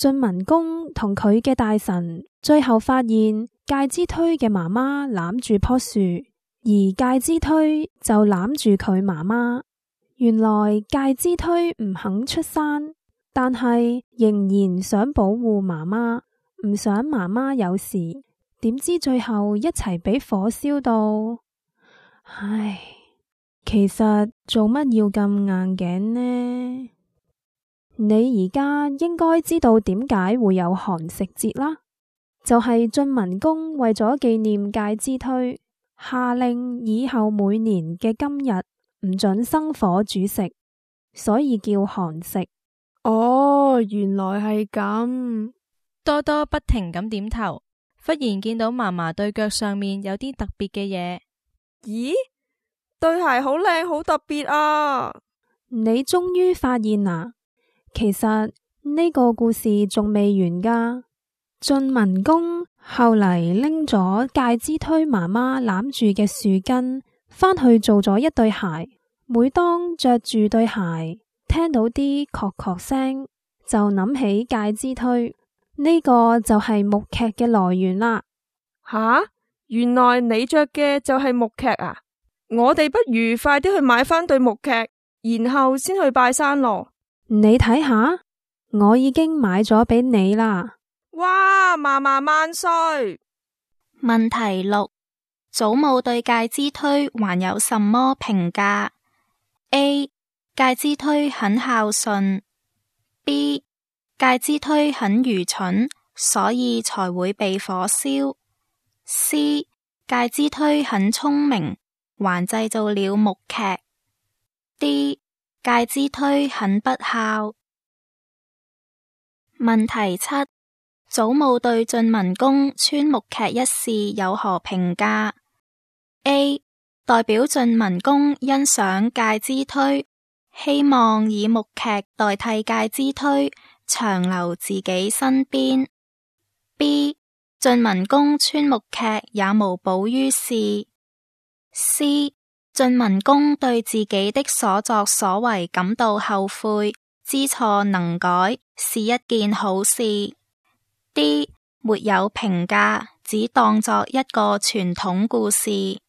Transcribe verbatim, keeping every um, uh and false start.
晉文公同佢嘅大臣最後發現介之推嘅媽媽攬住棵樹，而介之推就攬住佢媽媽。原來介之推唔肯出山，但係仍然想保護媽媽，唔想媽媽有事。點知最後一齊俾火燒到。唉，其實做乜要咁硬頸呢？你而家應該知道點解會有寒食節啦，就係晉文公為咗紀念介之推，下令以後每年嘅今日唔准生火煮食，所以叫寒食。哦，原來係咁。多多不停咁點頭，忽然見到嫲嫲對腳上面有啲特別嘅嘢。咦？對鞋好靚，好特別啊！你終於發現啦？其實呢個故事仲未完㗎。晉文公後嚟拎咗介之推媽媽攬住嘅樹根返去做咗一對鞋。每當着住對鞋，聽到啲確確聲，就諗起介之推。呢個就係木屐嘅來源啦。吓，原來你着嘅就係木屐啊！我哋不如快啲去買返對木屐，然後先去拜山咯。你睇下，我已經買咗俾你啦。哇，嫲嫲萬歲！問題六：祖母對介之推還有什麼評價 ？A. 介之推很孝順。B. 介之推很愚蠢，所以才會被火燒。C. 介之推很聰明，還製造了木屐。D. 介之推很不孝。問題七：祖母對晉文公穿木屐一事有何評價 ？A. 代表晉文公欣賞介之推，希望以木屐代替介之推，長留自己身邊。B. 晉文公穿木屐也無補於事。C. 晉文公對自己的所作所為感到後悔，知錯能改，是一件好事。D. 沒有評價，只當作一個傳統故事。